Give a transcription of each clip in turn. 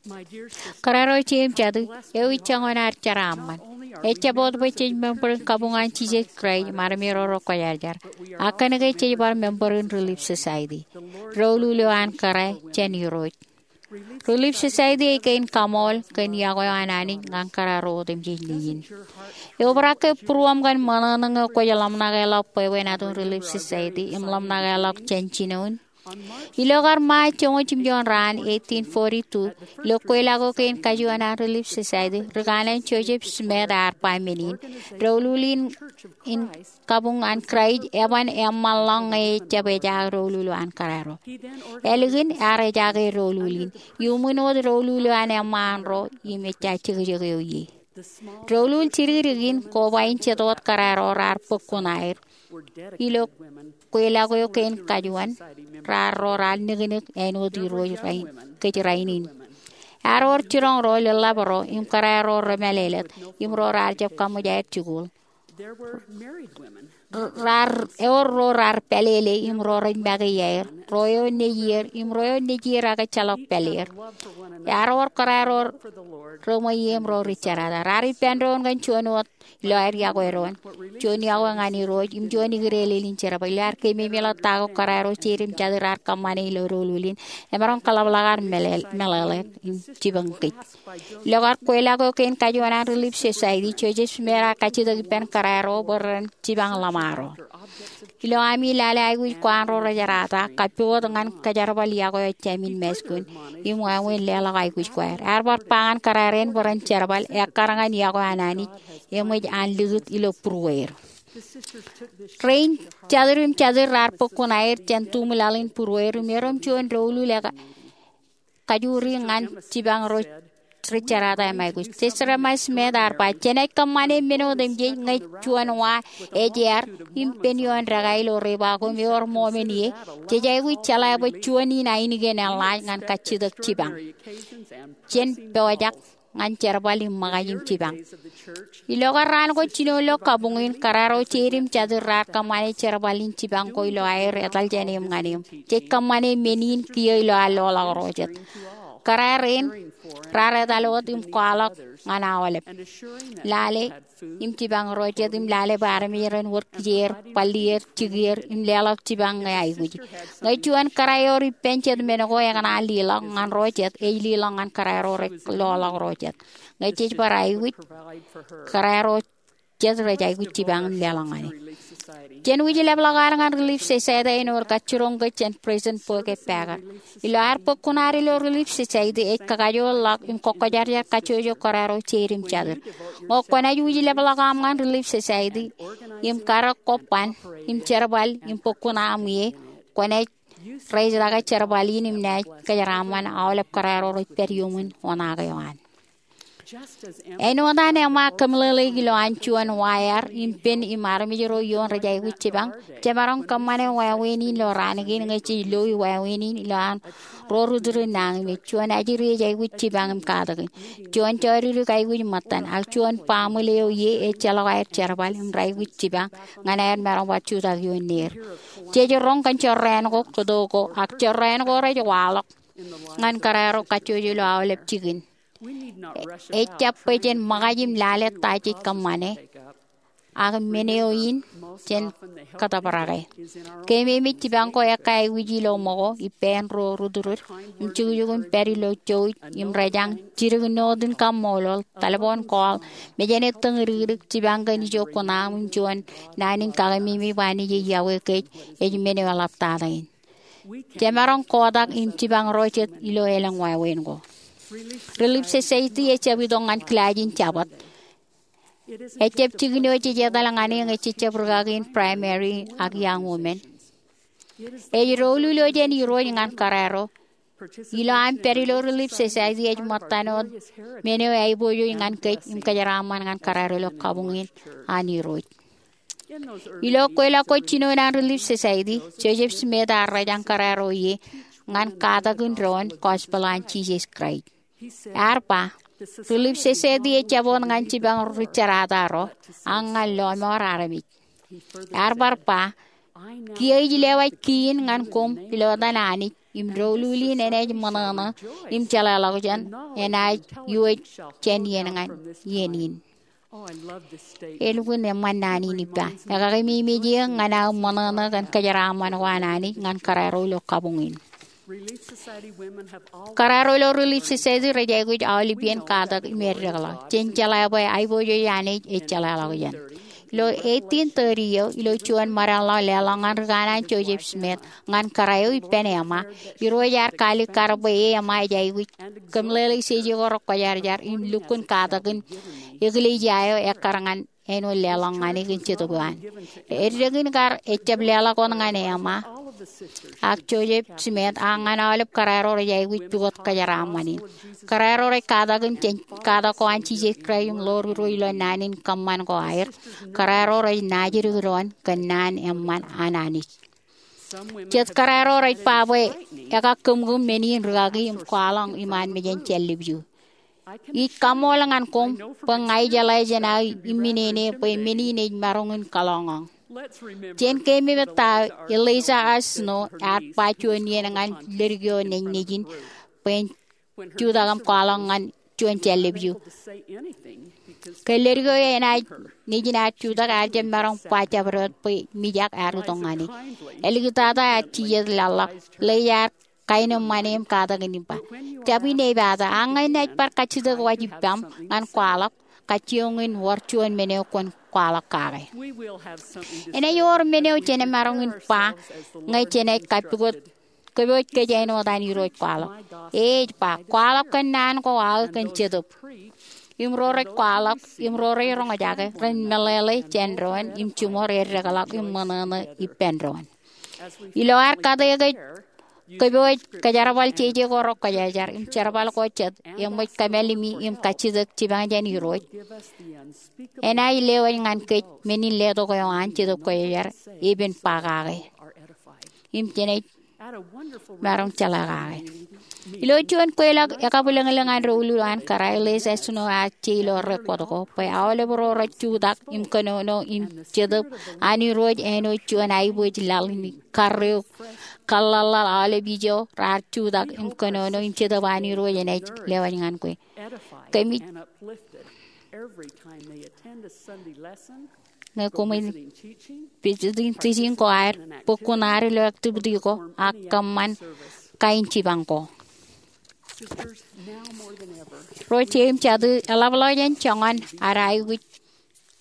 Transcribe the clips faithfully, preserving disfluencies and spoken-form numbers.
Kōrā ro jeiū im jatū, eo ej joñan ad jeraaṃṃan. Ejjab wōt bwe jej member in kabuñ an Jisōs Kraist im armej ro rekwōjarjar, ak kōnke jej bar member in Relief Society, doulul eo an kōrā jān Irooj. Relief Society ej kein kaṃool kōn iọkwe eo an Anij ñan kōrā ro otemjej nejiṃ. Eobrak ke būruōṃ kōn ṃōṇōṇō eo kwōj ḷōmṇakeḷọk bwebwenato in Relief Society im ḷōmṇakeḷọk jān jinoin? Ilo kar Ṃae joñoul jimjuon raan eighteen forty-two, ilo kweilọk eo kein kajuon an Relief Society, ri kanaan Joseph Smith ear ba men in, doulul in, in kabuñ an Kraist eban eṃṃanḷọk ñe ejjab ejaak doulul eo an kōrā ro. Ālikin ear ejaake doulul in, iuṃwin wōt doulul eo an eṃṃaan ro im ejja jekjek eo ie. Doulul jidikdik in koba in jet wōt kōrā ro raar bōk kuṇaer ilo kweilọk eo kein kajuon raar ro raar niknik āinwōt Irooj kōj rainin. Ear wōr jiroñ ro lōḷḷap ro im kōrā ro remālōtlōt im ro raar jab kaṃōj aer jikuuḷ. Raar, ewōr ro raar pālele im ro rej make iaer, ro eo nejier im ro eo nejier ak ejjeḷọk pāler. Ear wōr kōrā ro reṃweiie im ro ri jerata. Raar ippān doon kōn juon wōt ilo aer iọkwe doon, juon iọkwe ñan Irooj im juon ikdeelel in jerbal. Ilo aer keememej ḷọk ta ko kōrā ro jeiū im jatū raar kōṃṃane ilo doulul in, emaroñ kōḷapḷọk ad meḷeḷe, meḷeḷe im jipañ kōj. Ilo kar kweilọk eo kein kajuon an Relief Society, Joseph Smith ear kajjitōk ippān kōrā ro bwe ren jipañ ḷōṃaro. Ilo ami lale aikuj ko an ro rejerata, kappukot ñan kōjerbal iọkwe eo jāmin māskun im wāween leḷọk aikuj ko aer. Ear bar ba ñan kōrā rein bwe ren jerbal, ekkar ñan iọkwe an Anij, eṃōj an likūt ilo būrueir. Rein jatū im jatū raar bōk kuṇaer jān tuṃ laḷ in būrueir im erom juon doulul eo ka- kajuri ñan jipañ ro ri jerata im aikuj. Joseph Smith ear ba, jenaaj kōṃṃane men otemjej ñe juon wa ejeer im pen ioon dākā ilo ri ba ko im ewōr ṃomen ie, jej aikuj jeḷā bwe juon in ainikien eḷḷaaj ñan kajjitōk jipañ jān pojak ñan jerbal im ṃōkaj im jipañ. Ilo kar raan ko jino ilo kabuñ in, kōrā ro jeiū im jatū raar kōṃṃane jerbal in jipañ ko ilo aer etal jān eṃ ñan eṃ. Jej kōṃṃane men in kiiō ilo an loḷọk ro jet. Kōrā rein raar etal wōt im kwaḷọk ñan aolep, lale im jipañ ro jet im lale bwe armej ren wōr kijeer, bōllier, jikier im leḷọk jipañ ñe aikuj. Ñe juon kōrā ewōr ippān jet men ko ekōṇaan liḷọk ñan ro jet, ej liḷọk ñan kōrā ro rej loḷọk ro jet. Ñe jej bar aikuj, kōrā ro jet rej aikuj jipañ im leḷọk ñan e. Jen wūjlepḷọk ad ñan Relief Society āinwōt kajjiroñ kōj jān President Boyd K. Packer. Ilo ad bōk kuṇaad ilo Relief Society, ej kakajoorḷọk im kōkkojarjar kajjojo kōrā ro jeiū im jatū. Ñe kwōnaaj wūjlepḷọk aṃ ñan Relief Society im karōk ko ban im jerbal im bōk kuṇaaṃ ie, kwōnaaj rejeḷā ke jerbal in im naaj kōjeraaṃṃan aolep kōrā ro rej pād iuṃwin oṇaake eo an. Āinwōt an eṃṃaan kōmeḷeḷeik ilo an juon wa ear im pen im armej ro ioon rej aikuj jipañ, jemaroñ kōṃṃane wāween in ilo raan kein ñe jej loi wāween in ilo an ro ri turin nañinmej. Juon ajri ej aikuj jipañ im katakin. Juon jodikdik aikuj ṃōttan, ak juon baaṃle eo ie ejjeḷọk aer jerbal im raikuj jipañ ñan aer maroñ bar jutak ioon neer. Jej roñ kōn jorrāān ko, kōto ko, ak jorrāān ko rej waḷọk ñan kōrā ro kajjojo ilo aolep jikin. Ejjab bwe jen ṃōkaj im lale ta jej kōṃṃane, ak men eo in jen kōtōbrake. Keememej jipañ ko ekkā aikuj ilo ṃōko, ippān ro ri turin, im jukjuk im pād ilo jouj im rejañ, jidik note in kaṃṃoolol, telephone call, mejān ettōñ idikdik, jipañ kōn ijo kuṇaaṃ im juon naan in kakememej bwe Anij ej iọkwe kōj, ej men eo eḷaptata in. Jemaroñ kotak im jipañ ro jet ilo elōñ wāween ko. Relief Society ejjab itok ñan kilaaj in Jabōt. Ejjab jikin eo jej etal ñan e ñe jej jab rikaki in Primary ak Young Women. Ej doulul eo jān Irooj ñan kōrā ro. Ilo am pād ilo Relief Society ej ṃōttan wōt men eo aiboojoj ñan kōj im kōjeraaṃṃan ñan kōrā ro ilo kabuñ in an Irooj. Ilo kweilọk ko jinoin an Relief Society, Joseph Smith ear rejañ kōrā ro ie ñan katakin doon gospel an Jisōs Kraist. Ear ba, Relief Society ejjab wōt ñan jipañ ri jerata ro, ak ñan lọmọọr armej. Ear bar ba, kiiō ij lewōj kiin ñan koṃ ilo etan Anij, im doulul in enaaj ṃōṇōṇō im jeḷāḷọkjeṇ enaaj iwōj jān iien ñan iien in. Elukkuun eṃṃan naan in ippa. Ekakememej eō ñan aō ṃōṇōṇō kōn kōjeraaṃṃan ko an Anij ñan kōrā ro ilo kabuñ in. Kōrā ro ilo Relief Society rej aikuj aolep iien katak im eddekḷọk. Jen jeḷā bwe aiboojoj Anij ej jeḷāḷọkjeṇ. Ilo eighteen thirty eo, ilo juon ṃōdeḷḷọk leḷọk ñan ri kanaan Joseph Smith ñan kōrā eo ippān eṃṃa, Irooj ear kaalikkar bwe e eṃṃa ej aikuj kōmeḷeḷe ijeje ko rekwōjarjar im lukkuun katakin eklejia eo ekkar ñan āinwōt leḷọk ñan e kōn Jetōb eo an. Eddek in kar ejjab leḷọk wōt ñan eṃṃa ak Joseph Smith, ak ñan aolep kōrā ro rej aikuj pukot kōjeraaṃṃan in. Kōrā ro rej katakin jān katak ko an Jisōs Kraist im ḷoor Irooj ilo naan in kōṃṃan ko aer. Kōrā ro rej naajdik doon kōn naan eṃṃan an Anij. Jet kōrā ro rej ba bwe ekakōmkōm men in rikaki im kwaḷọk iṃaan mejān jān lepju. Ij kaṃṃool ñan koṃ bwe ña ijeḷā jān aō imminene bwe men in ej maroñ in kalọñọñ. Jen keememej ta Eliza R. Snow ear ba juon iien ñan leddik eo nejin bwe en jutak im kwaḷọk ñan juon jān lepju. Ke leddik eo enaaj nejin ear jutak ear jab maroñ ba jabdewōt bwe mijak ear itok ñan e. Āliktata ear jijet laḷḷọk, Eliza ear kaenōṃṃane im katakin im ba, Jab in epata, ak ñe inaaj bar kajjitōk waj ippaṃ ñan kwaḷọk, kajjioñ in wōr juon men eo kwōn kwaḷọk kake. Enaaj wōr men eo jenaaj maroñ in ba ñe jenaaj kapukot kōpooj kōj āinwōt an Irooj kwaḷọk. E ej ba, kwaḷọk kōn naan ko aō kōn Jetōb. Im ro rej kwaḷọk im ro rej roñjake ren meḷeḷe jān doon im jiṃor eddekḷọk im ṃōṇōṇō ippān doon. Ilo ad kate kōj kōpooj kōjerbal jeje ko rekwōjarjar im jerbal ko jet eṃōj kōmālimi im kajjitōk jipañ jān Irooj, enaaj lewōj ñan kōj men in letok eo an Jetōb Kwōjarjar epen ba kake im jenaaj maroñ jeḷā kake. Ilo juon kweilọk ekabwilōñlōñ an doulul an kōrā, Eliza Snow ear je ilo rekwōt ko bwe aolep ro rej jutak im kōnono im Jetōb an Irooj āinwōt juon aiboojoj laḷ in karreo kōḷḷaḷḷaḷ aolep ijo raar jutak im kōnono im Jetōb an Irooj enaaj lewōj ñan kwe. Kōmij ñe koṃij visiting teaching ko ad, bōk kuṇaad ilo activity ko, ak kōṃṃan kain jipañ ko. Ro jeiū im jatū, eḷapḷọk jān joñan ad aikuj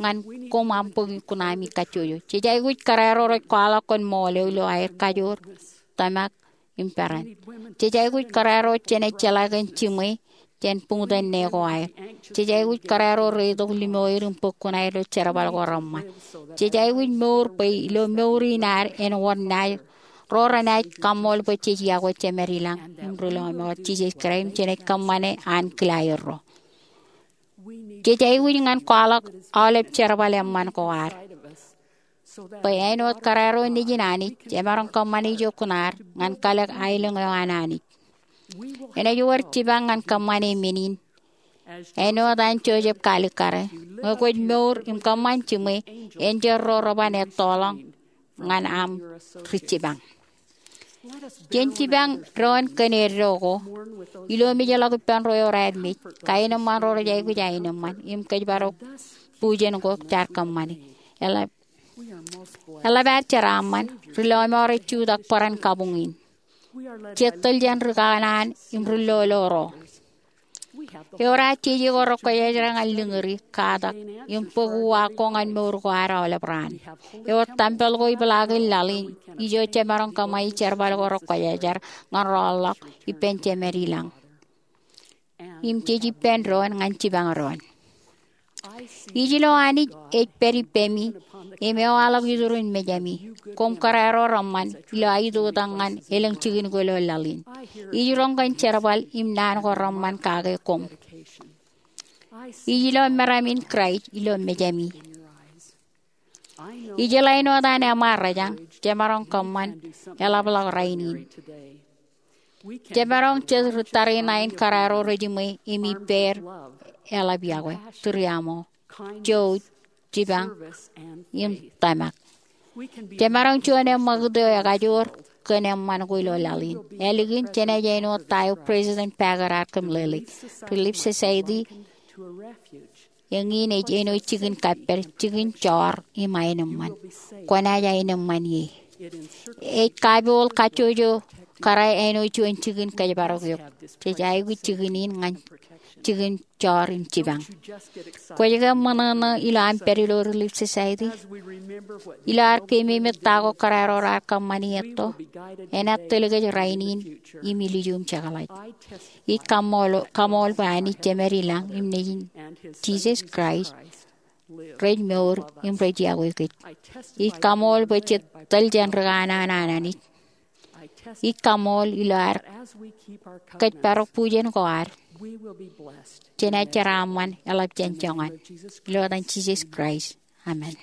ñan koṃ aṃ bōk kuṇaami kajjojo. Jej aikuj kōrā ro rej kwaḷọk kōn ṃool eo ilo aer kajoor, tōmak, im peran. Jej aikuj kōrā ro jenaaj jeḷā kōn jiṃwe jān buñtōn ne ko aer. Jej aikuj kōrā ro reitok limoer im bōk kuṇaer ilo jerbal ko reṃṃan. Jej aikuj mour bwe ilo mour in ad en wōr naaj, ro renaaj kaṃṃool bwe jej iọkwe Jemād ilañ im Ri Lọmọọr Jisōs Kraist im jenaaj kōṃṃane ankilaaer ro. Jej aikuj ñan kwaḷọk aolep jerbal eṃṃan ko ad bwe āinwōt kōrā ro nejin Anij, jemaroñ kōṃṃane ijo kuṇaad ñan kalōk aelōñ eo an Anij. Enaaj wōr jipañ ñan kōṃṃane men in. Āinwōt an Joseph kaalikkare, ñe kwōj mour im kōṃṃan jiṃwe, enjeḷ ro reban ettoḷọk ñan aṃ ri jipañ. Jen jipañ doon kōn eddo ko. Ilo mejḷọk ippān ro eor ad mej, kaenōṃṃan ro rej aikuj aenōṃṃan im kōjparok bujen ko jaar kōṃṃane. Eḷap, eḷap ad jeraaṃṃan, Ri Lọmọọr ej jutak bōran kabuñ in. Jej tōl jān ri kanaan im ri lolo ro. Ewōr ad jeje ko rekwōjarjar ñan liñuri, katak, im bōk uwaak ko ñan mour ko ad aolep raan. Ewōr tempel ko ipeḷaakin laḷ in ijo jemaroñ kōṃṃani jerbal ko rekwōjarjar ñan rọọlḷọk ippān Jemād ilañ. Im jej ippān doon ñan jipañ doon. Ij lo Anij ej pād ippemi im ewaḷọk iturin mejami, koṃ kōrā ro reṃṃan, ilo aitoktak ñan elōñ jikin ko ilo laḷ in. Ij roñ kōn jerbal im naan ko reṃṃan kake koṃ. Ij lo meram in Kraist ilo mejami. Ij lo āinwōt an eṃṃaan rōjañ, jemaroñ kōṃṃan eḷapḷọk rainin. Jemaroñ jet ri tariṇae in kōrā ro rejiṃwe im ippāer eḷap iọkwe, tūriaṃo, jouj, jipañ, im tōmak. Jemaroñ juon eṃṃakūt eo ekajoor kōn eṃṃan ko ilo laḷ in. Ālikin, jenaaj āinwōt ta eo President Packer ear kōmeḷeḷeik. Relief Society eñin ej āinwōt jikin kappād, jikin joor im aenōṃṃan. Kwōnaaj aenōṃṃan ie. Ej kapool kajjojo kōrā āinwōt juon jikin kōjparok eok. Jej aikuj jikin in ñan jikin joor im jipañ. Kwōj ke ṃōṇōṇō ilo aṃ pād ilo Relief Society? Ilo ad keememej ta ko kōrā ro raar kōṃṃani etto, enaaj tōl kōj rainin im ilju im jekḷaj. Ij kaṃṃool, kaṃṃool bwe Anij Jemed ilañ im Nejin Jisōs Kraist rej mour im rej iọkwe kōj. Ij kaṃṃool bwe jej tōl jān ri kanaan an Anij. Ij kaṃṃool ilo ad kōjparok bujen ko ad, jenaaj jeraaṃṃan eḷap jān joñan. Ilo etan Jisōs Kraist, amen.